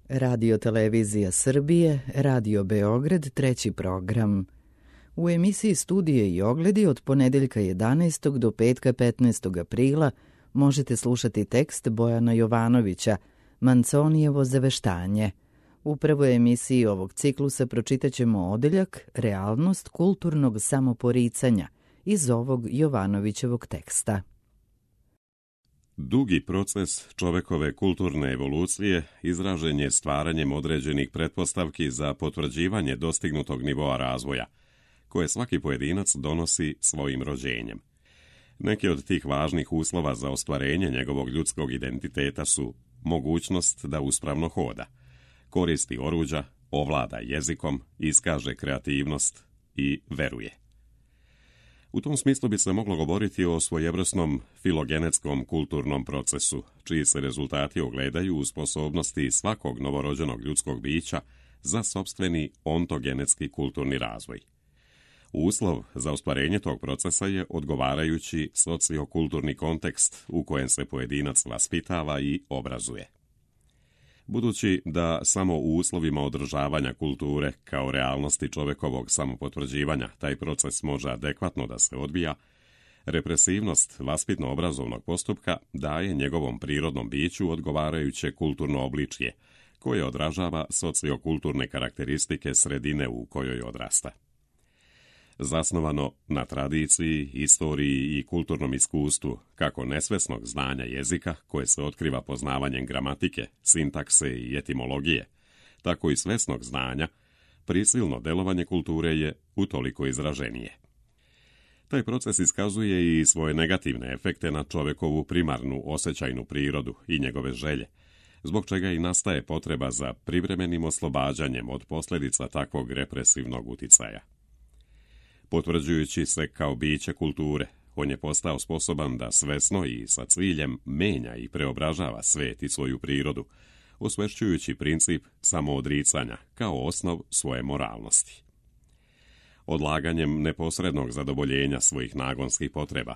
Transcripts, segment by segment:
Radio Televizija Srbije, Radio Beograd, treći program. U emisiji Studije i ogledi od ponedeljka 11. do petka 15. aprila možete slušati tekst Bojana Jovanovića, Manconijevo zaveštanje. U prvoj emisiji ovog ciklusa pročitaćemo odeljak Realnost kulturnog samoporicanja iz ovog Jovanovićevog teksta. Dugi proces čovekove kulturne evolucije izražen je stvaranjem određenih pretpostavki za potvrđivanje dostignutog nivoa razvoja, koje svaki pojedinac donosi svojim rođenjem. Neki od tih važnih uslova za ostvarenje njegovog ljudskog identiteta su mogućnost da uspravno hoda, koristi oruđa, ovlada jezikom, iskaže kreativnost i veruje. U tom smislu bi se moglo govoriti o svojevrsnom filogenetskom kulturnom procesu, čiji se rezultati ogledaju u sposobnosti svakog novorođenog ljudskog bića za sopstveni ontogenetski kulturni razvoj. Uslov za ostvarenje tog procesa je odgovarajući sociokulturni kontekst u kojem se pojedinac vaspitava i obrazuje. Budući da samo u uslovima održavanja kulture kao realnosti čovekovog samopotvrđivanja taj proces može adekvatno da se odvija, represivnost vaspitno-obrazovnog postupka daje njegovom prirodnom biću odgovarajuće kulturno obličje, koje odražava sociokulturne karakteristike sredine u kojoj odrasta. Zasnovano na tradiciji, istoriji i kulturnom iskustvu, kako nesvesnog znanja jezika, koje se otkriva poznavanjem gramatike, sintakse i etimologije, tako i svesnog znanja, prisilno delovanje kulture je utoliko izraženije. Taj proces iskazuje i svoje negativne efekte na čovekovu primarnu osjećajnu prirodu i njegove želje, zbog čega i nastaje potreba za privremenim oslobađanjem od posljedica takvog represivnog uticaja. Potvrđujući se kao biće kulture, on je postao sposoban da svesno i sa ciljem menja i preobražava svet i svoju prirodu, osvešćujući princip samoodricanja kao osnov svoje moralnosti. Odlaganjem neposrednog zadovoljenja svojih nagonskih potreba,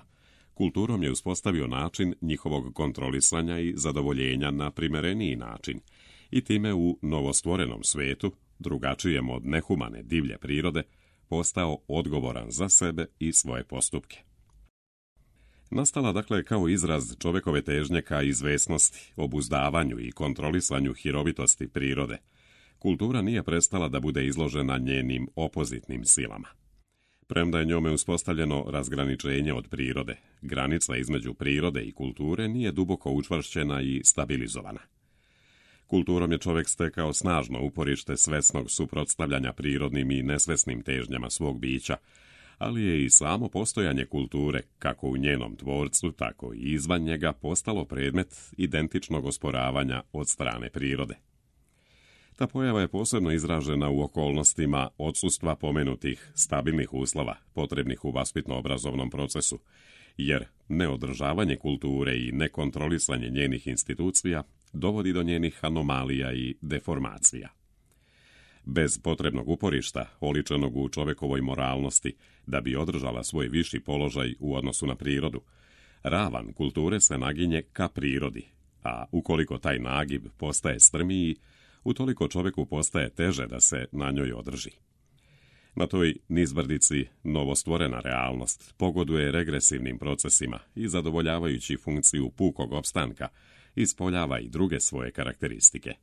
kulturom je uspostavio način njihovog kontrolisanja i zadovoljenja na primereniji način i time u novostvorenom svetu, drugačijem od nehumane divlje prirode, postao odgovoran za sebe i svoje postupke. Nastala dakle kao izraz čovekove težnje ka izvesnosti, obuzdavanju i kontrolisanju hirovitosti prirode, kultura nije prestala da bude izložena njenim opozitnim silama. Premda je njome uspostavljeno razgraničenje od prirode, granica između prirode i kulture nije duboko učvršćena i stabilizovana. Kulturom je čovjek stekao snažno uporište svesnog suprotstavljanja prirodnim i nesvesnim težnjama svog bića, ali je i samo postojanje kulture, kako u njenom tvorcu, tako i izvan njega, postalo predmet identičnog osporavanja od strane prirode. Ta pojava je posebno izražena u okolnostima odsustva pomenutih stabilnih uslova potrebnih u vaspitno-obrazovnom procesu, jer neodržavanje kulture i nekontrolisanje njenih institucija dovodi do njenih anomalija i deformacija. Bez potrebnog uporišta, oličenog u čovekovoj moralnosti, da bi održala svoj viši položaj u odnosu na prirodu, ravan kulture se naginje ka prirodi, a ukoliko taj nagib postaje strmiji, utoliko čoveku postaje teže da se na njoj održi. Na toj nizbrdici novostvorena realnost pogoduje regresivnim procesima i zadovoljavajući funkciju pukog opstanka, ispoljava i druge svoje karakteristike.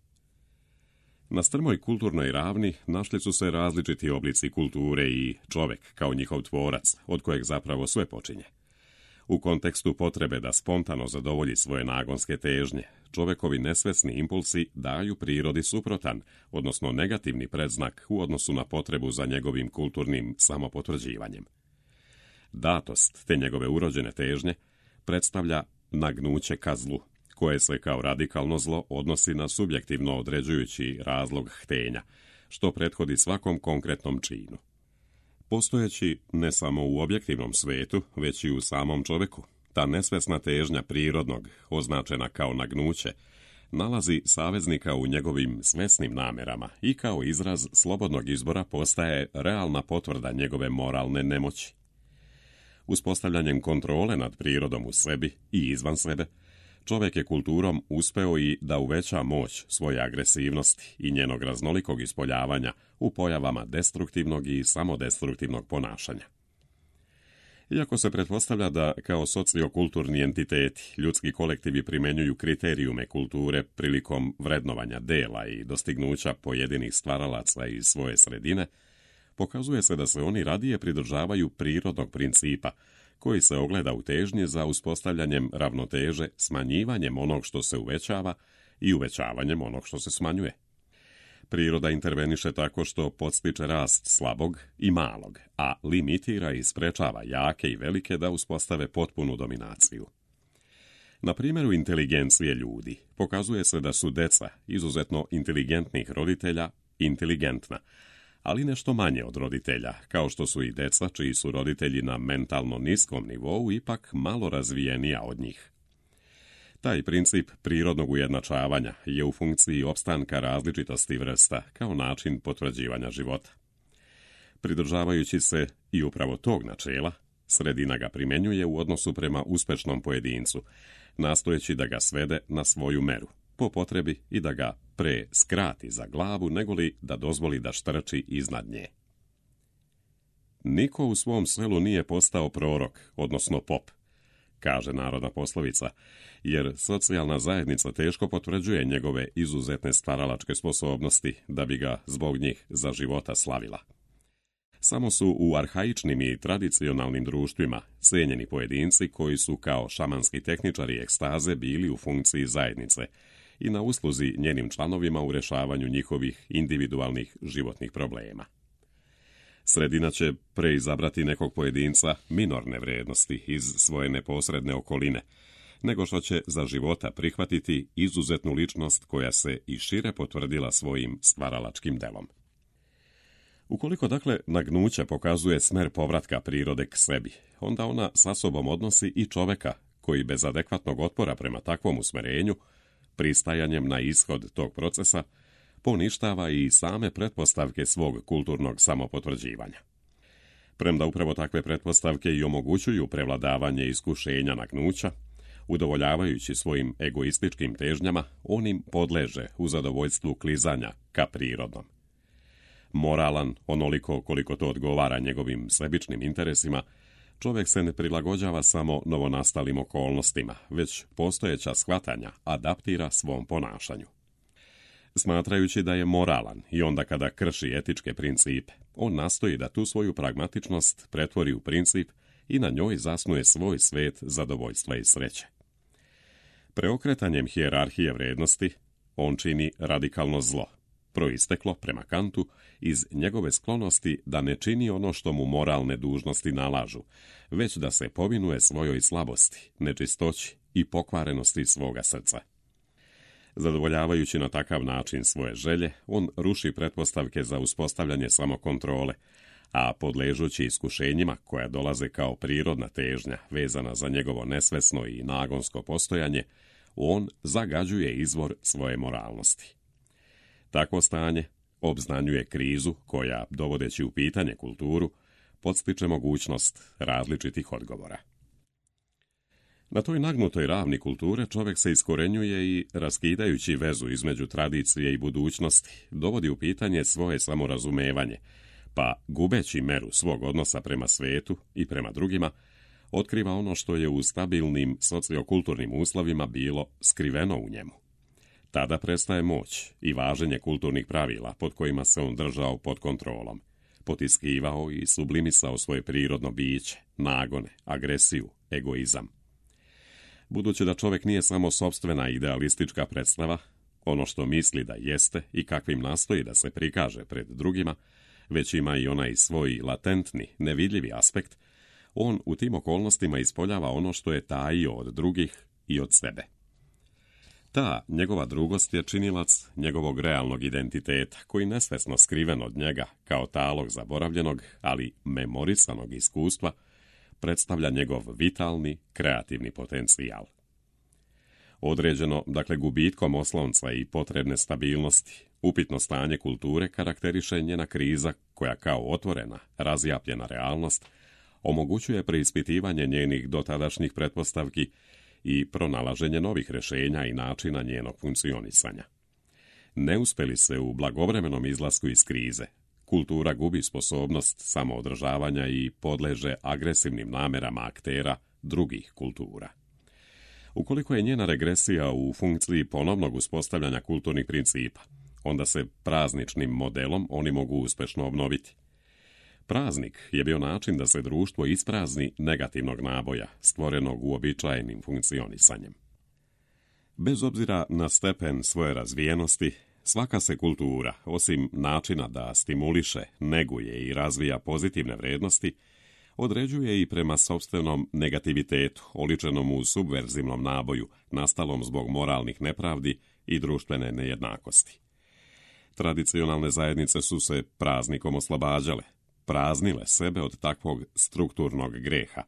Na strmoj kulturnoj ravni našli su se različiti oblici kulture i čovek kao njihov tvorac, od kojeg zapravo sve počinje. U kontekstu potrebe da spontano zadovolji svoje nagonske težnje, čovekovi nesvesni impulsi daju prirodi suprotan, odnosno negativni predznak u odnosu na potrebu za njegovim kulturnim samopotvrđivanjem. Datost te njegove urođene težnje predstavlja nagnuće ka zlu, koje se kao radikalno zlo odnosi na subjektivno određujući razlog htenja, što prethodi svakom konkretnom činu. Postojeći ne samo u objektivnom svetu, već i u samom čoveku, ta nesvesna težnja prirodnog, označena kao nagnuće, nalazi saveznika u njegovim svesnim namerama i kao izraz slobodnog izbora postaje realna potvrda njegove moralne nemoći. Uspostavljanjem kontrole nad prirodom u sebi i izvan sebe, čovjek je kulturom uspeo i da uveća moć svoje agresivnosti i njenog raznolikog ispoljavanja u pojavama destruktivnog i samodestruktivnog ponašanja. Iako se pretpostavlja da kao sociokulturni entiteti ljudski kolektivi primjenjuju kriterijume kulture prilikom vrednovanja dela i dostignuća pojedinih stvaralaca iz svoje sredine, pokazuje se da se oni radije pridržavaju prirodnog principa, koji se ogleda u težnji za uspostavljanjem ravnoteže smanjivanjem onog što se uvećava i uvećavanjem onog što se smanjuje. Priroda interveniše tako što podstiče rast slabog i malog, a limitira i sprečava jake i velike da uspostave potpunu dominaciju. Na primjeru inteligencije ljudi pokazuje se da su deca izuzetno inteligentnih roditelja inteligentna, ali nešto manje od roditelja, kao što su i deca čiji su roditelji na mentalno niskom nivou ipak malo razvijenija od njih. Taj princip prirodnog ujednačavanja je u funkciji opstanka različitosti vrsta kao način potvrđivanja života. Pridržavajući se i upravo tog načela, sredina ga primjenjuje u odnosu prema uspešnom pojedincu, nastojeći da ga svede na svoju meru, po potrebi i da ga pre skrati za glavu negoli da dozvoli da štrči iznad nje. Niko u svom selu nije postao prorok, odnosno pop, kaže narodna poslovica, jer socijalna zajednica teško potvrđuje njegove izuzetne stvaralačke sposobnosti da bi ga zbog njih za života slavila. Samo su u arhaičnim i tradicionalnim društvima cijenjeni pojedinci koji su kao šamanski tehničari ekstaze bili u funkciji zajednice i na usluzi njenim članovima u rješavanju njihovih individualnih životnih problema. Sredina će preizabrati nekog pojedinca minorne vrijednosti iz svoje neposredne okoline, nego što će za života prihvatiti izuzetnu ličnost koja se i šire potvrdila svojim stvaralačkim delom. Ukoliko dakle nagnuće pokazuje smer povratka prirode k sebi, onda ona sa sobom odnosi i čoveka koji bez adekvatnog otpora prema takvom usmerenju, pristajanjem na ishod tog procesa, poništava i same pretpostavke svog kulturnog samopotvrđivanja. Premda upravo takve pretpostavke i omogućuju prevladavanje iskušenja nagnuća, udovoljavajući svojim egoističkim težnjama, on im podleže u zadovoljstvu klizanja ka prirodnom. Moralan, onoliko koliko to odgovara njegovim sebičnim interesima, čovjek se ne prilagođava samo novonastalim okolnostima, već postojeća shvatanja adaptira svom ponašanju. Smatrajući da je moralan i onda kada krši etičke principe, on nastoji da tu svoju pragmatičnost pretvori u princip i na njoj zasnuje svoj svet zadovoljstva i sreće. Preokretanjem hijerarhije vrijednosti on čini radikalno zlo, proisteklo prema Kantu iz njegove sklonosti da ne čini ono što mu moralne dužnosti nalažu, već da se povinuje svojoj slabosti, nečistoći i pokvarenosti svoga srca. Zadovoljavajući na takav način svoje želje, on ruši pretpostavke za uspostavljanje samokontrole, a podležući iskušenjima koja dolaze kao prirodna težnja vezana za njegovo nesvesno i nagonsko postojanje, on zagađuje izvor svoje moralnosti. Takvo stanje obznanjuje krizu koja, dovodeći u pitanje kulturu, podstiče mogućnost različitih odgovora. Na toj nagnutoj ravni kulture čovjek se iskorenjuje i, raskidajući vezu između tradicije i budućnosti, dovodi u pitanje svoje samorazumevanje, pa, gubeći meru svog odnosa prema svetu i prema drugima, otkriva ono što je u stabilnim sociokulturnim uslovima bilo skriveno u njemu. Tada prestaje moć i važenje kulturnih pravila pod kojima se on držao pod kontrolom, potiskivao i sublimisao svoje prirodno biće, nagone, agresiju, egoizam. Budući da čovjek nije samo sopstvena idealistička predstava, ono što misli da jeste i kakvim nastoji da se prikaže pred drugima, već ima i onaj svoj latentni, nevidljivi aspekt, on u tim okolnostima ispoljava ono što je tajio od drugih i od sebe. Ta njegova drugost je činilac njegovog realnog identiteta, koji nesvesno skriven od njega, kao talog zaboravljenog, ali memorisanog iskustva, predstavlja njegov vitalni, kreativni potencijal. Određeno, dakle, gubitkom oslonca i potrebne stabilnosti, upitno stanje kulture karakteriše njena kriza koja kao otvorena, razjapljena realnost omogućuje preispitivanje njenih dotadašnjih pretpostavki i pronalaženje novih rješenja i načina njenog funkcionisanja. Ne uspeli se u blagovremenom izlasku iz krize, kultura gubi sposobnost samoodržavanja i podleže agresivnim namerama aktera drugih kultura. Ukoliko je njena regresija u funkciji ponovnog uspostavljanja kulturnih principa, onda se prazničnim modelom oni mogu uspješno obnoviti. Praznik je bio način da se društvo isprazni negativnog naboja, stvorenog uobičajenim funkcionisanjem. Bez obzira na stepen svoje razvijenosti, svaka se kultura, osim načina da stimuliše, neguje i razvija pozitivne vrijednosti, određuje i prema sopstvenom negativitetu, oličenom u subverzivnom naboju, nastalom zbog moralnih nepravdi i društvene nejednakosti. Tradicionalne zajednice su se praznikom oslobađale, praznile sebe od takvog strukturnog greha,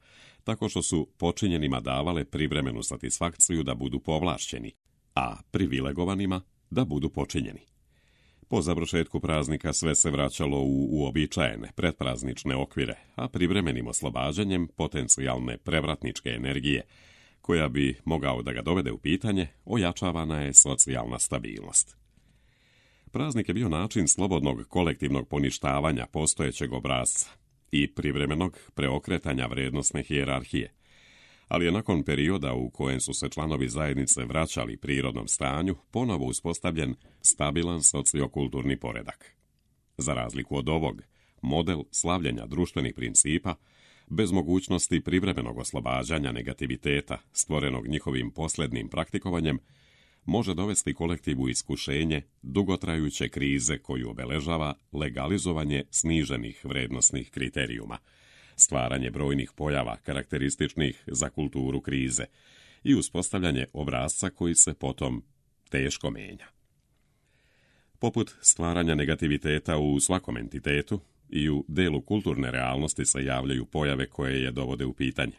tako što su počinjenima davale privremenu satisfakciju da budu povlašćeni, a privilegovanima da budu počinjeni. Po završetku praznika sve se vraćalo u uobičajene predpraznične okvire, a privremenim oslobađanjem potencijalne prevratničke energije, koja bi mogao da ga dovede u pitanje, ojačavana je socijalna stabilnost. Praznik je bio način slobodnog kolektivnog poništavanja postojećeg obrasca i privremenog preokretanja vrijednosne hijerarhije, ali je nakon perioda u kojem su se članovi zajednice vraćali prirodnom stanju ponovo uspostavljen stabilan sociokulturni poredak. Za razliku od ovog, model slavljenja društvenih principa, bez mogućnosti privremenog oslobađanja negativiteta stvorenog njihovim posljednim praktikovanjem, može dovesti kolektiv u iskušenje dugotrajuće krize koju obeležava legalizovanje sniženih vrednosnih kriterijuma, stvaranje brojnih pojava karakterističnih za kulturu krize i uspostavljanje obrasca koji se potom teško menja. Poput stvaranja negativiteta u svakom entitetu i u delu kulturne realnosti se javljaju pojave koje je dovode u pitanje.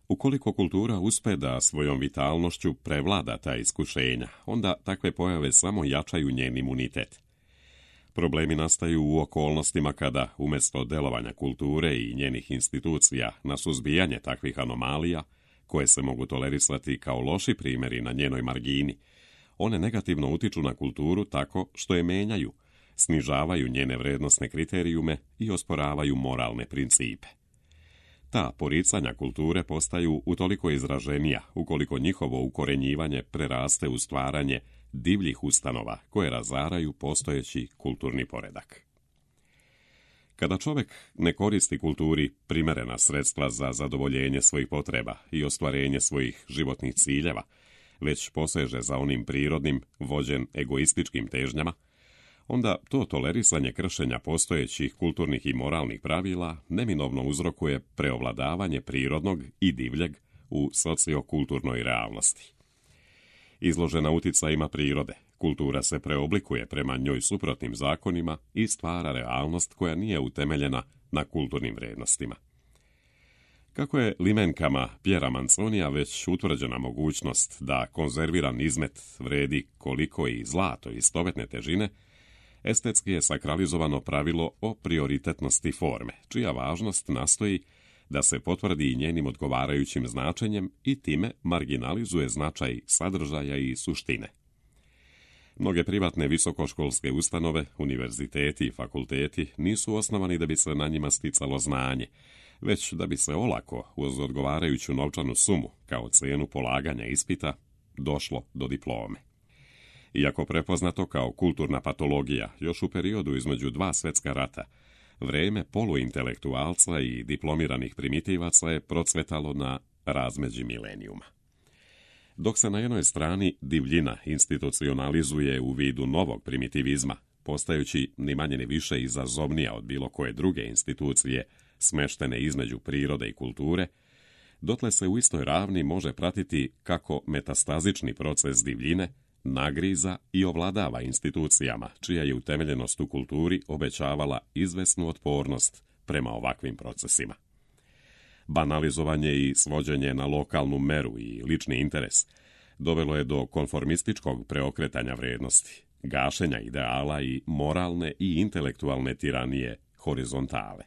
Ukoliko kultura uspe da svojom vitalnošću prevlada ta iskušenja, onda takve pojave samo jačaju njen imunitet. Problemi nastaju u okolnostima kada, umjesto delovanja kulture i njenih institucija na suzbijanje takvih anomalija, koje se mogu tolerisati kao loši primjeri na njenoj margini, one negativno utiču na kulturu tako što je menjaju, snižavaju njene vrednosne kriterijume i osporavaju moralne principe. Ta poricanja kulture postaju utoliko izraženija ukoliko njihovo ukorenjivanje preraste u stvaranje divljih ustanova koje razaraju postojeći kulturni poredak. Kada čovjek ne koristi kulturi primjerena sredstva za zadovoljenje svojih potreba i ostvarenje svojih životnih ciljeva, već poseže za onim prirodnim, vođen egoističkim težnjama, onda to tolerisanje kršenja postojećih kulturnih i moralnih pravila neminovno uzrokuje preovladavanje prirodnog i divljeg u sociokulturnoj realnosti. Izložena uticajima prirode, kultura se preoblikuje prema njoj suprotnim zakonima i stvara realnost koja nije utemeljena na kulturnim vrijednostima. Kako je limenkama Pjera Manconija već utvrđena mogućnost da konzerviran izmet vredi koliko i zlato istovetne težine, estetski je sakralizovano pravilo o prioritetnosti forme, čija važnost nastoji da se potvrdi i njenim odgovarajućim značenjem i time marginalizuje značaj sadržaja i suštine. Mnoge privatne visokoškolske ustanove, univerziteti i fakulteti nisu osnovani da bi se na njima sticalo znanje, već da bi se olako, uz odgovarajuću novčanu sumu, kao cijenu polaganja ispita, došlo do diplome. Iako prepoznato kao kulturna patologija još u periodu između dva svjetska rata, vrijeme poluintelektualca i diplomiranih primitivaca je procvetalo na razmeđi milenijuma. Dok se na jednoj strani divljina institucionalizuje u vidu novog primitivizma, postajući ni manje ni više izazovnija od bilo koje druge institucije smeštene između prirode i kulture, dotle se u istoj ravni može pratiti kako metastazični proces divljine nagriza i ovladava institucijama, čija je utemeljenost u kulturi obećavala izvesnu otpornost prema ovakvim procesima. Banalizovanje i svođenje na lokalnu meru i lični interes dovelo je do konformističkog preokretanja vrijednosti, gašenja ideala i moralne i intelektualne tiranije horizontale.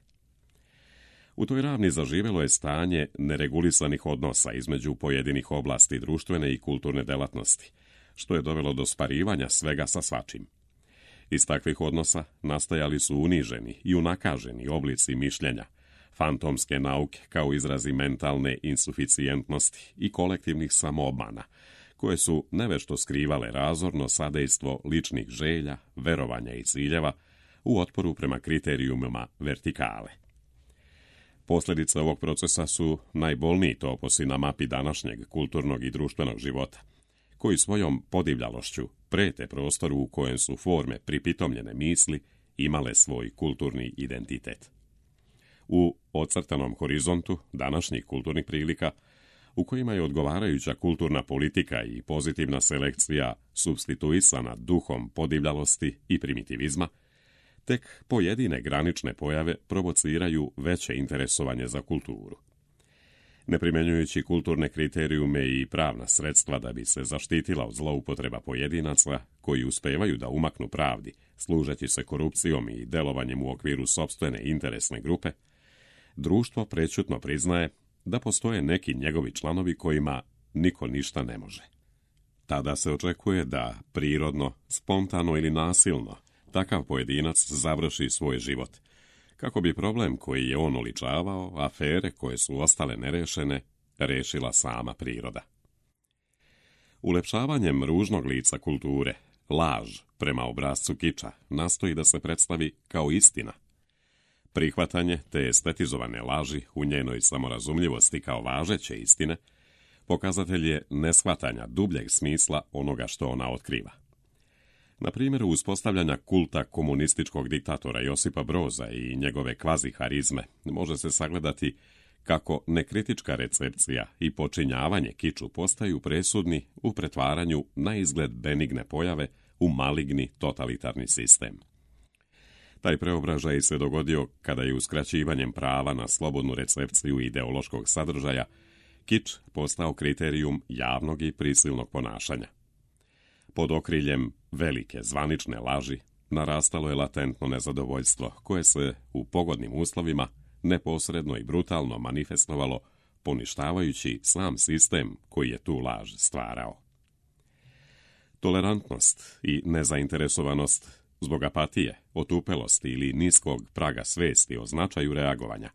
U toj ravni zaživelo je stanje neregulisanih odnosa između pojedinih oblasti društvene i kulturne delatnosti, što je dovelo do sparivanja svega sa svačim. Iz takvih odnosa nastajali su uniženi i unakaženi oblici mišljenja, fantomske nauke kao izrazi mentalne insuficijentnosti i kolektivnih samoobmana, koje su nevešto skrivale razorno sadejstvo ličnih želja, verovanja i ciljeva u otporu prema kriterijumima vertikale. Posljedice ovog procesa su najbolniji toposi na mapi današnjeg kulturnog i društvenog života, koji svojom podivljalošću prete prostoru u kojem su forme pripitomljene misli imale svoj kulturni identitet. U ocrtanom horizontu današnjih kulturnih prilika, u kojima je odgovarajuća kulturna politika i pozitivna selekcija supstituisana duhom podivljalosti i primitivizma, tek pojedine granične pojave provociraju veće interesovanje za kulturu. Ne primjenjujući kulturne kriterijume i pravna sredstva da bi se zaštitila od zloupotreba pojedinaca koji uspevaju da umaknu pravdi, služeći se korupcijom i delovanjem u okviru sopstvene interesne grupe, društvo prećutno priznaje da postoje neki njegovi članovi kojima niko ništa ne može. Tada se očekuje da prirodno, spontano ili nasilno takav pojedinac završi svoj život, kako bi problem koji je on oličavao, afere koje su ostale nerešene, rešila sama priroda. Ulepšavanjem ružnog lica kulture, laž prema obrascu kiča nastoji da se predstavi kao istina. Prihvatanje te estetizovane laži u njenoj samorazumljivosti kao važeće istine pokazatelj je neshvatanja dubljeg smisla onoga što ona otkriva. Na primjeru uspostavljanja kulta komunističkog diktatora Josipa Broza i njegove kvazi harizme može se sagledati kako nekritička recepcija i počinjavanje kiču postaju presudni u pretvaranju na izgled benigne pojave u maligni totalitarni sistem. Taj preobražaj se dogodio kada je uskraćivanjem prava na slobodnu recepciju ideološkog sadržaja kič postao kriterijum javnog i prisilnog ponašanja. Pod okriljem velike zvanične laži narastalo je latentno nezadovoljstvo koje se u pogodnim uslovima neposredno i brutalno manifestovalo poništavajući sam sistem koji je tu laž stvarao. Tolerantnost i nezainteresovanost zbog apatije, otupelosti ili niskog praga svesti o značaju reagovanja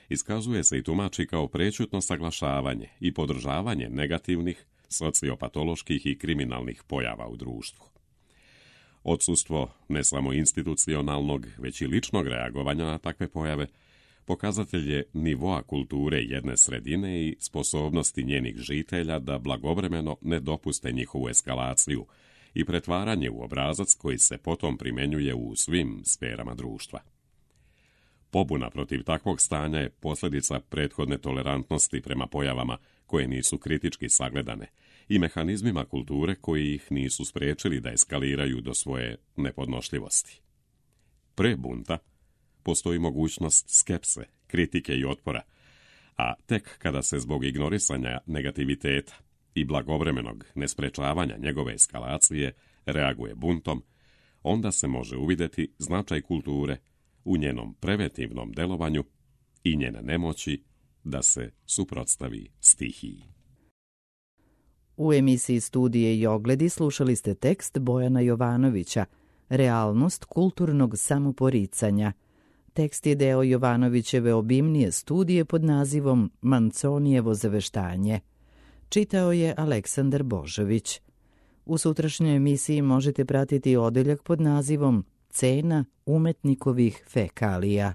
iskazuje se i tumači kao prećutno saglašavanje i podržavanje negativnih, sociopatoloških i kriminalnih pojava u društvu. Odsustvo ne samo institucionalnog, već i ličnog reagovanja na takve pojave pokazatelj je nivoa kulture jedne sredine i sposobnosti njenih žitelja da blagovremeno ne dopuste njihovu eskalaciju i pretvaranje u obrazac koji se potom primjenjuje u svim sferama društva. Pobuna protiv takvog stanja je posljedica prethodne tolerantnosti prema pojavama koje nisu kritički sagledane i mehanizmima kulture koji ih nisu spriječili da eskaliraju do svoje nepodnošljivosti. Pre bunta postoji mogućnost skepse, kritike i otpora, a tek kada se zbog ignorisanja negativiteta i blagovremenog nesprečavanja njegove eskalacije reaguje buntom, onda se može uvidjeti značaj kulture u njenom preventivnom delovanju i njene nemoći da se suprotstavi stihiji. U emisiji Studije i ogledi slušali ste tekst Bojana Jovanovića Realnost kulturnog samoporicanja. Tekst je deo Jovanovićeve obimnije studije pod nazivom Manconijevo zaveštanje. Čitao je Aleksandar Božović. U sutrašnjoj emisiji možete pratiti odeljak pod nazivom Cena umetnikovih fekalija.